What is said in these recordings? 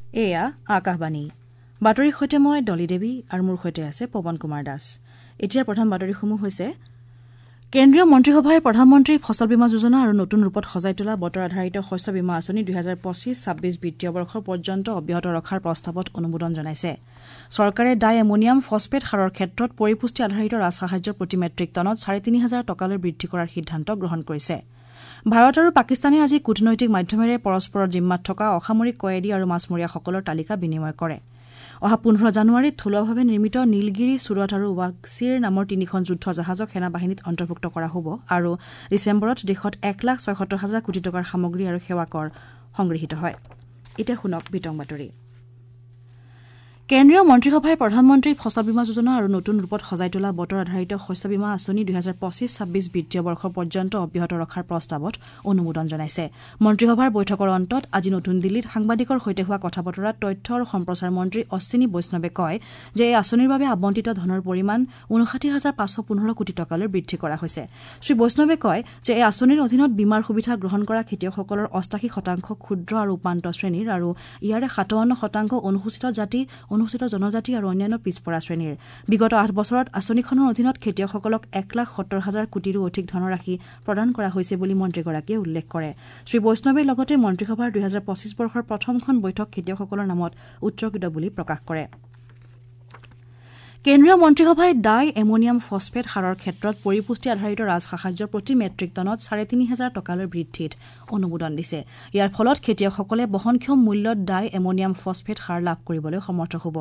এয়া আকাশবাণী বাতৰিৰ সৈতে মই ডলি দেৱী আৰু মোৰ সৈতে আছে পৱন কুমাৰ দাস। এতিয়াৰ প্ৰধান বাতৰিসমূহ হৈছে: কেন্দ্ৰীয় মন্ত্ৰীসভাই প্ৰধানমন্ত্ৰী ফচল বীমা যোজনা আৰু নতুন ৰূপত সজাই তোলা বতৰ আধাৰিত শস্য বীমা আঁচনি ২০২৫-২৬ বিত্তীয় বৰ্ষ পৰ্যন্ত অব্যাহত ৰখাৰ প্ৰস্তাৱত অনুমোদন জনাইছে। চৰকাৰে ডাই এমোনিয়াম ফছফেট সাৰৰ ক্ষেত্ৰত পৰিপুষ্টি আধাৰিত ৰাজসাহায্য প্ৰতি মেট্ৰিক টনত ৩,৫০০ টকালৈ বৃদ্ধি কৰাৰ সিদ্ধান্ত গ্ৰহণ কৰিছে। ভাৰত আৰু পাকিস্তানে আজি কূটনৈতিক মাধ্যমেৰে পৰস্পৰৰ জিম্মাত থকা অসামৰিক কয়েদী আৰু মাছমৰীয়াসকলৰ তালিকা বিনিময় কৰে। অহা ১৫ জানুৱাৰীত থলুৱাভাৱে নিৰ্মিত নীলগিৰি, ছুৰত আৰু ৱাগছিৰ নামৰ তিনিখন যুদ্ধ জাহাজক সেনাবাহিনীত অন্তৰ্ভুক্ত কৰা হ'ব আৰু ডিচেম্বৰত দেশত ১ লাখ ৭৬ হাজাৰ কোটি টকাৰ সামগ্ৰী আৰু সেৱা কৰ সংগৃহীত হয়। এতিয়া শুনক বিতং বাতৰি। কেন্দ্ৰীয় মন্ত্ৰীসভাই প্ৰধানমন্ত্ৰী ফচল বীমা যোজনা আৰু নতুন ৰূপত সজাই তোলা বতৰ আধাৰিত শস্য বীমা আঁচনি ২০২৫-২৬ বিত্তীয় বৰ্ষ পৰ্যন্ত অব্যাহত ৰখাৰ প্ৰস্তাৱত অনুমোদন জনাইছে। মন্ত্ৰীসভাৰ বৈঠকৰ অন্তত আজি নতুন দিল্লীত সাংবাদিকৰ সৈতে হোৱা কথা বতৰাত তথ্য আৰু সম্প্ৰচাৰ মন্ত্ৰী অশ্বিনী বৈষ্ণৱে কয় যে এই আঁচনিৰ বাবে আবণ্টিত ধনৰ পৰিমাণ ৫৯ হাজাৰ ৫১৫ কোটি টকালৈ বৃদ্ধি কৰা হৈছে। শ্ৰী বৈষ্ণৱে কয় যে এই আঁচনিৰ অধীনত বীমাৰ সুবিধা গ্ৰহণ কৰা খেতিয়কসকলৰ ৮৮% ক্ষুদ্ৰ আৰু উপান্ত শ্ৰেণীৰ আৰু ইয়াৰে ৫৭% অনুসূচিত জাতি, অনুসূচিত জনজাতি আৰু অন্যান্য পিছপৰা শ্ৰেণীৰ। বিগত ৮ বছৰত আঁচনিখনৰ অধীনত খেতিয়কসকলক ১ লাখ ৭০ হাজাৰ কোটিৰো অধিক ধনৰাশি প্ৰদান কৰা হৈছে বুলি মন্ত্ৰীগৰাকীয়ে উল্লেখ কৰে। শ্ৰী বৈষ্ণৱে লগতে মন্ত্ৰীসভাৰ ২০২৫ বৰ্ষৰ প্ৰথমখন বৈঠক খেতিয়কসকলৰ নামত উৎসৰ্গিত বুলি প্ৰকাশ কৰে। কেন্দ্ৰীয় মন্ত্ৰীসভাই ডাই এমোনিয়াম ফছফেট সাৰৰ ক্ষেত্ৰত পৰিপুষ্টি আধাৰিত ৰাজসাহায্য প্ৰতি মেট্ৰিক টনত ৩,৫০০ টকালৈ বৃদ্ধিত অনুমোদন দিছে। ইয়াৰ ফলত খেতিয়কসকলে বহনক্ষম মূল্যত ডাই এমোনিয়াম ফছফেট সাৰ লাভ কৰিবলৈ সমৰ্থ হ'ব।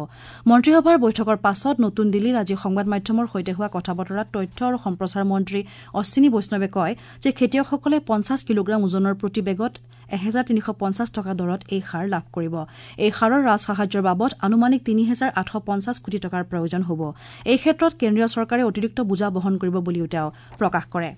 মন্ত্ৰীসভাৰ বৈঠকৰ পাছত নতুন দিল্লীত আজি সংবাদ মাধ্যমৰ সৈতে হোৱা কথা বতৰাত তথ্য আৰু সম্প্ৰচাৰ মন্ত্ৰী অশ্বিনী বৈষ্ণৱে কয় যে খেতিয়কসকলে ৫০ কিলোগ্ৰাম ওজনৰ প্ৰতি বেগত ১৩৫০ টকা দৰত এই সাৰ লাভ কৰিব। এই সাৰৰ ৰাজসাহায্যৰ বাবদ আনুমানিক ৩,৮৫০ কোটি টকাৰ প্ৰয়োজন হ'ব। এই ক্ষেত্ৰত কেন্দ্ৰীয় চৰকাৰে অতিৰিক্ত বোজা বহন কৰিব বুলিও তেওঁ প্ৰকাশ কৰে।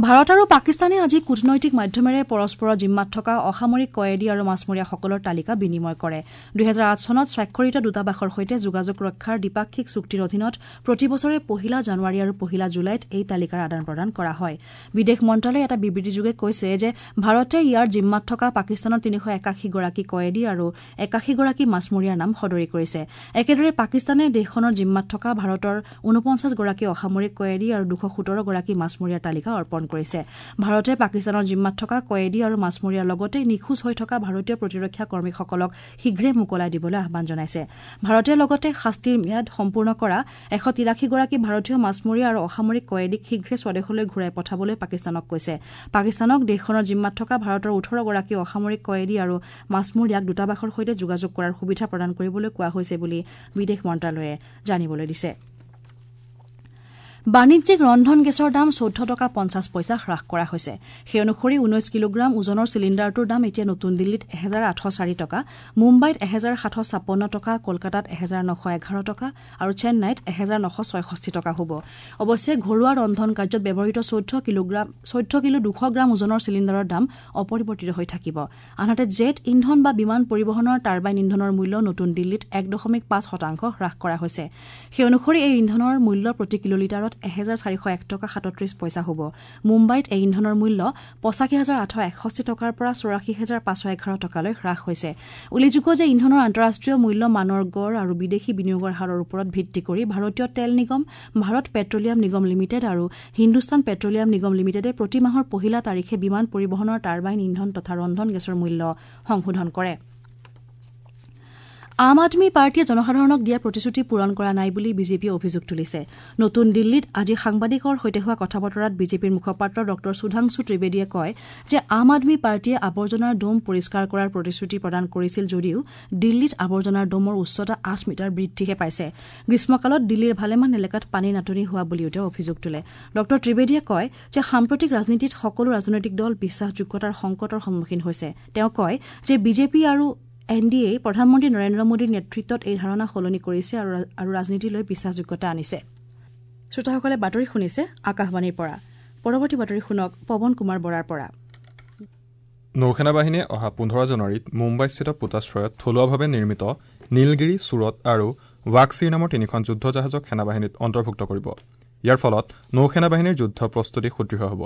ভাৰত আৰু পাকিস্তানে আজি কূটনৈতিক মাধ্যমেৰে পৰস্পৰৰ জিম্মাত থকা অসামৰিক কয়েদী আৰু মাছমৰীয়াসকলৰ তালিকা বিনিময় কৰে। ২০০৮ চনত স্বাক্ষৰিত দূতাবাসৰ সৈতে যোগাযোগ ৰক্ষাৰ দ্বিপাক্ষিক চুক্তিৰ অধীনত প্ৰতি বছৰে ১ জানুৱাৰী আৰু ১ জুলাইত এই তালিকাৰ আদান প্ৰদান কৰা হয়। বিদেশ মন্ত্ৰালয়ে এটা বিবৃতিযোগে কৈছে যে ভাৰতে ইয়াৰ জিম্মাত থকা পাকিস্তানৰ ৩৮১ গৰাকী কয়েদী আৰু ৮১ গৰাকী মাছমৰীয়াৰ নাম সদৰি কৰিছে। একেদৰে পাকিস্তানে দেশখনৰ জিম্মাত থকা ভাৰতৰ ৪৯ গৰাকী অসামৰিক কয়েদী আৰু ২১৭ গৰাকী মাছমৰীয়াৰ তালিকা অৰ্পণ কৰিছে। ভাৰতে পাকিস্তানৰ জিম্মাত থকা কয়েদী আৰু মাছমৰীয়াৰ লগতে নিখোজ হৈ থকা ভাৰতীয় প্ৰতিৰক্ষা কৰ্মীসকলক শীঘ্ৰে মোকলাই দিবলৈ আহ্বান জনাইছে। ভাৰতে লগতে শাস্তিৰ ম্যাদ সম্পূৰ্ণ কৰা ১৮৩ গৰাকী ভাৰতীয় মাছমৰীয়া আৰু অসামৰিক কয়েদীক শীঘ্ৰে স্বদেশলৈ ঘূৰাই পঠাবলৈ পাকিস্তানক কৈছে। পাকিস্তানক দেশখনৰ জিম্মাত থকা ভাৰতৰ ১৮ গৰাকী অসামৰিক কয়েদী আৰু মাছমৰীয়াক দূতাবাসৰ সৈতে যোগাযোগ কৰাৰ সুবিধা প্ৰদান কৰিবলৈ কোৱা হৈছে বুলি বিদেশ মন্ত্ৰালয়ে জানিবলৈ দিছে। বাণিজ্যিক ৰন্ধন গেছৰ দাম ১৪ টকা ৫০ পইচা হ্ৰাস কৰা হৈছে। সেই অনুসৰি ১৯ কিলোগ্ৰাম ওজনৰ চিলিণ্ডাৰটোৰ দাম এতিয়া নতুন দিল্লীত ১৮০৪ টকা, মুম্বাইত ১৭৫৬ টকা, কলকাতাত ১৯১১ টকা আৰু চেন্নাইত ১৯৬৬ টকা হ'ব। অৱশ্যে ঘৰুৱা ৰন্ধন কাৰ্যত ব্যৱহৃত ১৪ কিলো ২০০ গ্ৰাম ওজনৰ চিলিণ্ডাৰৰ দাম অপৰিৱৰ্তিত হৈ থাকিব। আনহাতে জেট ইন্ধন বা বিমান পৰিবহণৰ টাৰ্বাইন ইন্ধনৰ মূল্য নতুন দিল্লীত ১.৫% হ্ৰাস কৰা হৈছে। সেই অনুসৰি এই ইন্ধনৰ মূল্য প্ৰতি কিলোলিটাৰত ১৪০১ টকা ৩৭ পইচা হ'ব। মুম্বাইত এই ইন্ধনৰ মূল্য ৮৫,৮৬১ টকাৰ পৰা ৮৪,৫১১ টকালৈ হ্ৰাস হৈছে। উল্লেখযোগ্য যে ইন্ধনৰ আন্তঃৰাষ্ট্ৰীয় মূল্য মানৰ গড় আৰু বিদেশী বিনিয়োগৰ হাৰৰ ওপৰত ভিত্তি কৰি ভাৰতীয় তেল নিগম, ভাৰত পেট্ৰলিয়াম নিগম লিমিটেড আৰু হিন্দুস্তান পেট্ৰলিয়াম নিগম লিমিটেডে প্ৰতি মাহৰ ১ তাৰিখে বিমান পৰিবহণৰ টাৰ্বাইন ইন্ধন তথা ৰন্ধন গেছৰ মূল্য সংশোধন কৰে। আম আদমী পাৰ্টীয়ে জনসাধাৰণক দিয়া প্ৰতিশ্ৰুতি পূৰণ কৰা নাই বুলি বিজেপিয়ে অভিযোগ তুলিছে। নতুন দিল্লীত আজি সাংবাদিকৰ সৈতে হোৱা কথা বতৰাত বিজেপিৰ মুখপাত্ৰ ডঃ সুধাংশু ত্ৰিবেদীয়ে কয় যে আম আদমী পাৰ্টীয়ে আৱৰ্জনাৰ দোম পৰিষ্কাৰ কৰাৰ প্ৰতিশ্ৰুতি প্ৰদান কৰিছিল যদিও দিল্লীত আৱৰ্জনাৰ দোমৰ উচ্চতা ৮ মিটাৰ বৃদ্ধিহে পাইছে। গ্ৰীষ্মকালত দিল্লীৰ ভালেমান এলেকাত পানীৰ নাটনি হোৱা বুলিও তেওঁ অভিযোগ তোলে। ডঃ ত্ৰিবেদীয়ে কয় যে সাম্প্ৰতিক ৰাজনীতিত সকলো ৰাজনৈতিক দল বিশ্বাসযোগ্যতাৰ সংকটৰ সন্মুখীন হৈছে। তেওঁ কয় যে বিজেপি আৰু এন ডি এ প্ৰধানমন্ত্ৰী নৰেন্দ্ৰ মোদীৰ নেতৃত্বত এই ধাৰণা সলনি কৰিছে আৰু ৰাজনীতিলৈ বিশ্বাসযোগ্যতা আনিছে। শ্ৰোতাসকলে বাতৰি শুনিছে আকাশবাণীৰ পৰা। পৰৱৰ্তী বাতৰি শুনক পৱন কুমাৰ বৰাৰ পৰা। নৌসেনা বাহিনীয়ে অহা ১৫ জানুৱাৰীত মুম্বাইস্থিত পোতাশ্ৰয়ত থলুৱাভাৱে নিৰ্মিত নীলগিৰি, ছুৰত আৰু ৱাগছিৰ নামৰ তিনিখন যুদ্ধ জাহাজক সেনাবাহিনীত অন্তৰ্ভুক্ত কৰিব। ইয়াৰ ফলত নৌসেনা বাহিনীৰ যুদ্ধ প্ৰস্তুতি সুদৃঢ় হ'ব।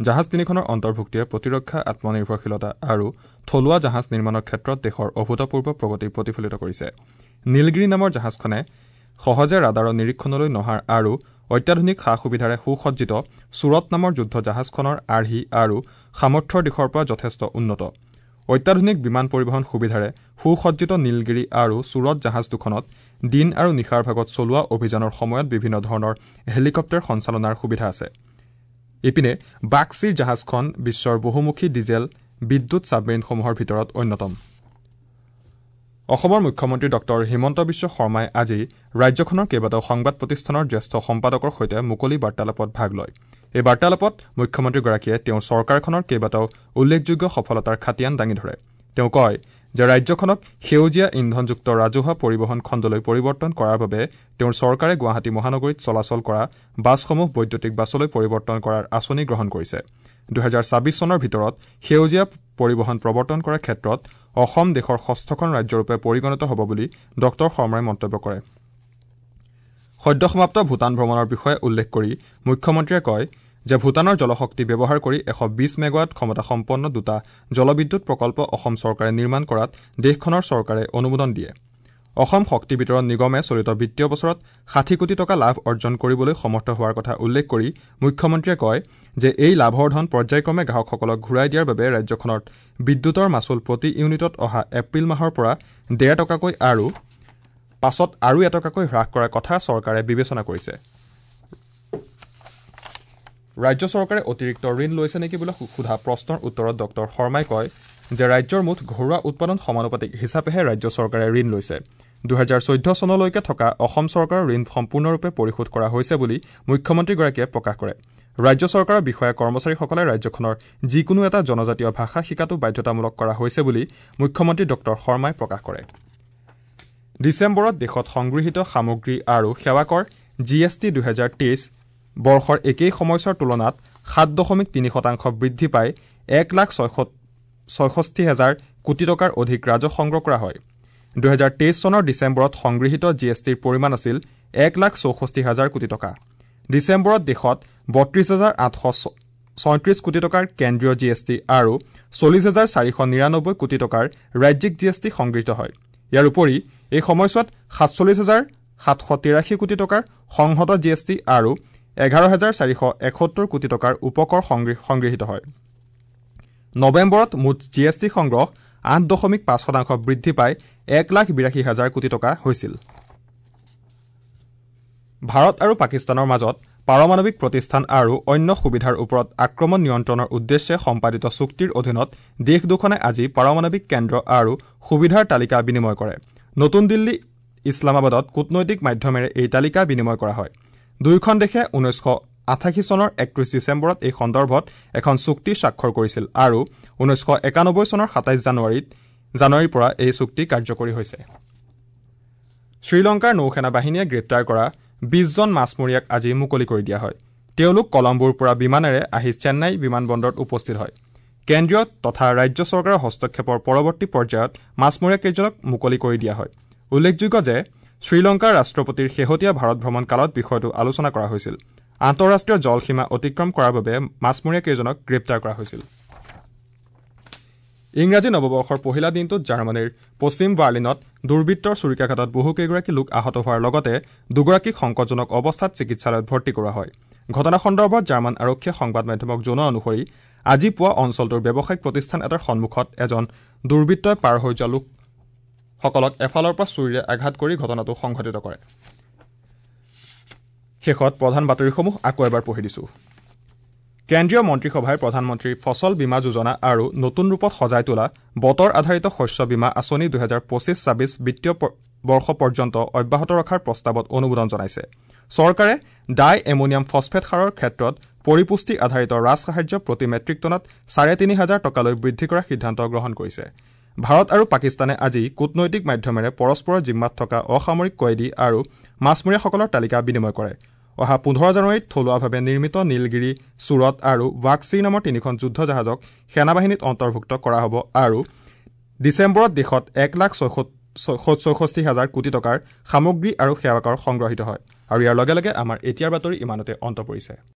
জাহাজ তিনিখনৰ অন্তৰ্ভুক্তিয়ে প্ৰতিৰক্ষা, আত্মনিৰ্ভৰশীলতা আৰু থলুৱা জাহাজ নিৰ্মাণৰ ক্ষেত্ৰত দেশৰ অভূতপূৰ্ব প্ৰগতি প্ৰতিফলিত কৰিছে। নীলগিৰি নামৰ জাহাজখনে সহজে ৰাডাৰৰ নিৰীক্ষণলৈ নহাৰ আৰু অত্যাধুনিক সা সুবিধাৰে সুসজ্জিত ছুৰত নামৰ যুদ্ধ জাহাজখনৰ আৰ্হি আৰু সামৰ্থ্যৰ দিশৰ পৰা যথেষ্ট উন্নত। অত্যাধুনিক বিমান পৰিবহণ সুবিধাৰে সুসজ্জিত নীলগিৰি আৰু ছুৰত জাহাজ দুখনত দিন আৰু নিশাৰ ভাগত চলোৱা অভিযানৰ সময়ত বিভিন্ন ধৰণৰ হেলিকপ্টাৰ সঞ্চালনাৰ সুবিধা আছে। ইপিনে বাক্সিৰ জাহাজখন বিশ্বৰ বহুমুখী ডিজেল বিদ্যুৎ ছাবমেৰিনসমূহৰ ভিতৰত অন্যতম। অসমৰ মুখ্যমন্ত্ৰী ডঃ হিমন্ত বিশ্ব শৰ্মাই আজি ৰাজ্যখনৰ কেইবাটাও সংবাদ প্ৰতিষ্ঠানৰ জ্যেষ্ঠ সম্পাদকৰ সৈতে মুকলি বাৰ্তালাপত ভাগ লয়। এই বাৰ্তালাপত মুখ্যমন্ত্ৰীগৰাকীয়ে তেওঁৰ চৰকাৰখনৰ কেইবাটাও উল্লেখযোগ্য সফলতাৰ খাতিয়ান দাঙি ধৰে। তেওঁ কয় যে ৰাজ্যখনক সেউজীয়া ইন্ধনযুক্ত ৰাজহুৱা পৰিবহণ খণ্ডলৈ পৰিৱৰ্তন কৰাৰ বাবে তেওঁৰ চৰকাৰে গুৱাহাটী মহানগৰীত চলাচল কৰা বাছসমূহ বৈদ্যুতিক বাছলৈ পৰিৱৰ্তন কৰাৰ আঁচনি গ্ৰহণ কৰিছে। ২০২৬ চনৰ ভিতৰত সেউজীয়া পৰিবহণ প্ৰৱৰ্তন কৰাৰ ক্ষেত্ৰত অসম দেশৰ ষষ্ঠখন ৰাজ্যৰূপে পৰিগণিত হ'ব বুলি ডঃ শৰ্মাই মন্তব্য কৰে। সদ্যসমাপ্ত ভূটান ভ্ৰমণৰ বিষয়ে উল্লেখ কৰি মুখ্যমন্ত্ৰীয়ে কয় যে ভূটানৰ জলশক্তি ব্যৱহাৰ কৰি ১২০ মেগাৱাট ক্ষমতাসম্পন্ন দুটা জলবিদ্যুৎ প্ৰকল্প অসম চৰকাৰে নিৰ্মাণ কৰাত দেশখনৰ চৰকাৰে অনুমোদন দিয়ে। অসম শক্তি বিতৰণ নিগমে চলিত বিত্তীয় বছৰত ৬০ কোটি টকা লাভ অৰ্জন কৰিবলৈ সমৰ্থ হোৱাৰ কথা উল্লেখ কৰি মুখ্যমন্ত্ৰীয়ে কয় যে এই লাভৰ ধন পৰ্যায়ক্ৰমে গ্ৰাহকসকলক ঘূৰাই দিয়াৰ বাবে ৰাজ্যখনত বিদ্যুতৰ মাচুল প্ৰতি ইউনিটত অহা এপ্ৰিল মাহৰ পৰা ১.৫ টকাকৈ আৰু পাছত আৰু ১ টকাকৈ হ্ৰাস কৰাৰ কথা চৰকাৰে বিবেচনা কৰিছে। ৰাজ্য চৰকাৰে অতিৰিক্ত ঋণ লৈছে নেকি বুলি সোধা প্ৰশ্নৰ উত্তৰত ডঃ শৰ্মাই কয় যে ৰাজ্যৰ মুঠ ঘৰুৱা উৎপাদন সমানুপাতিক হিচাপেহে ৰাজ্য চৰকাৰে ঋণ লৈছে। ২০১৪ চনলৈকে থকা অসম চৰকাৰৰ ঋণ সম্পূৰ্ণৰূপে পৰিশোধ কৰা হৈছে বুলি মুখ্যমন্ত্ৰীগৰাকীয়ে প্ৰকাশ কৰে। ৰাজ্য চৰকাৰৰ বিষয়া কৰ্মচাৰীসকলে ৰাজ্যখনৰ যিকোনো এটা জনজাতীয় ভাষা শিকাটো বাধ্যতামূলক কৰা হৈছে বুলি মুখ্যমন্ত্ৰী ডঃ শৰ্মাই প্ৰকাশ কৰে। ডিচেম্বৰত দেশত সংগৃহীত সামগ্ৰী আৰু সেৱাকৰ জি এছ টি ২০২৩ বৰ্ষৰ একেই সময়ছোৱাৰ তুলনাত ৭.৩% বৃদ্ধি পাই ১,৬৬,০০০ কোটি টকাৰ অধিক ৰাজহ সংগ্ৰহ কৰা হয়। ২০২৩ চনৰ ডিচেম্বৰত সংগৃহীত জি এছ টিৰ পৰিমাণ আছিল ১,৬৪,০০০ কোটি টকা। ডিচেম্বৰত দেশত ৩২,৮৩৬ কোটি টকাৰ কেন্দ্ৰীয় জি এছ টি আৰু ৪০,৪৯৯ কোটি টকাৰ ৰাজ্যিক জি এছ টি সংগৃহীত হয়। ইয়াৰ উপৰি এই সময়ছোৱাত ৪৭,৭৮৩ কোটি টকাৰ সংহত জি এছ টি আৰু ১১,৪৭১ কোটি টকাৰ উপকৰ সংগৃহীত হয়। নৱেম্বৰত মুঠ জি এছ টি সংগ্ৰহ ৮.৫% বৃদ্ধি পাই ১,৮২,০০০ কোটি টকা হৈছিল। ভাৰত আৰু পাকিস্তানৰ মাজত পাৰমাণৱিক প্ৰতিষ্ঠান আৰু অন্য সুবিধাৰ ওপৰত আক্ৰমণ নিয়ন্ত্ৰণৰ উদ্দেশ্যে সম্পাদিত চুক্তিৰ অধীনত দেশ দুখনে আজি পাৰমাণৱিক কেন্দ্ৰ আৰু সুবিধাৰ তালিকা বিনিময় কৰে। নতুন দিল্লী ইছলামাবাদত কূটনৈতিক মাধ্যমেৰে এই তালিকা বিনিময় কৰা হয়। দুয়োখন দেশে ১৯৮৮ চনৰ ৩১ ডিচেম্বৰত এই সন্দৰ্ভত এখন চুক্তি স্বাক্ষৰ কৰিছিল আৰু ১৯৯১ চনৰ ২৭ জানুৱাৰীৰ পৰা এই চুক্তি কাৰ্যকৰী হৈছে। শ্ৰীলংকাৰ নৌসেনা বাহিনীয়ে গ্ৰেপ্তাৰ কৰা ২০জন মাছমৰীয়াক আজি মুকলি কৰি দিয়া হয়। তেওঁলোক কলম্বোৰ পৰা বিমানেৰে আহি চেন্নাই বিমানবন্দৰত উপস্থিত হয়। কেন্দ্ৰীয় তথা ৰাজ্য চৰকাৰৰ হস্তক্ষেপৰ পৰৱৰ্তী পৰ্যায়ত মাছমৰীয়াকেইজনক মুকলি কৰি দিয়া হয়। উল্লেখযোগ্য যে শ্ৰীলংকাৰ ৰাষ্ট্ৰপতিৰ শেহতীয়া ভাৰত ভ্ৰমণ কালত বিষয়টো আলোচনা কৰা হৈছিল। আন্তঃৰাষ্ট্ৰীয় জলসীমা অতিক্ৰম কৰাৰ বাবে মাছমৰীয়াকেইজনক গ্ৰেপ্তাৰ কৰা হৈছিল। ইংৰাজী নৱবৰ্ষৰ পহিলা দিনটোত জাৰ্মানীৰ পশ্চিম বাৰ্লিনত দুৰ্বৃত্তৰ ছুৰিকাঘাতত বহুকেইগৰাকী লোক আহত হোৱাৰ লগতে দুগৰাকীক সংকটজনক অৱস্থাত চিকিৎসালয়ত ভৰ্তি কৰোৱা হয়। ঘটনা সন্দৰ্ভত জাৰ্মান আৰক্ষীয়ে সংবাদ মাধ্যমক জনোৱা অনুসৰি আজি পুৱা অঞ্চলটোৰ ব্যৱসায়িক প্ৰতিষ্ঠান এটাৰ সন্মুখত এজন দুৰ্বৃত্তই পাৰ হৈ যোৱা লোকসকলক এফালৰ পৰা ছুৰীৰে আঘাত কৰি ঘটনাটো সংঘটিত কৰে। শেষত প্ৰধান বাতৰিসমূহ আকৌ এবাৰ পঢ়ি দিছো। কেন্দ্ৰীয় মন্ত্ৰীসভাই প্ৰধানমন্ত্ৰী ফচল বীমা যোজনা আৰু নতুন ৰূপত সজাই তোলা বতৰ আধাৰিত শস্য বীমা আঁচনি ২০২৫-২৬ বিত্তীয় বৰ্ষ পৰ্যন্ত অব্যাহত ৰখাৰ প্ৰস্তাৱত অনুমোদন জনাইছে। চৰকাৰে ডাই এমোনিয়াম ফছফেট সাৰৰ ক্ষেত্ৰত পৰিপুষ্টি আধাৰিত ৰাজসাহায্য প্ৰতি মেট্ৰিক টনত ৩,৫০০ টকালৈ বৃদ্ধি কৰাৰ সিদ্ধান্ত গ্ৰহণ কৰিছে। ভাৰত আৰু পাকিস্তানে আজি কূটনৈতিক মাধ্যমেৰে পৰস্পৰৰ জিম্মাত থকা অসামৰিক কয়েদী আৰু মাছমৰীয়াসকলৰ তালিকা বিনিময় কৰে। অহা ১৫ জানুৱাৰীত থলুৱাভাৱে নিৰ্মিত নীলগিৰি, ছুৰত আৰু ৱাকচিৰ নামৰ তিনিখন যুদ্ধ জাহাজক সেনাবাহিনীত অন্তৰ্ভুক্ত কৰা হ'ব আৰু ডিচেম্বৰত দেশত ১,৬৬,০০০ কোটি টকাৰ সামগ্ৰী আৰু সেৱাকৰ সংগ্ৰহিত হয়। আৰু ইয়াৰ লগে লগে আমাৰ এতিয়াৰ বাতৰি ইমানতে অন্ত পৰিছে।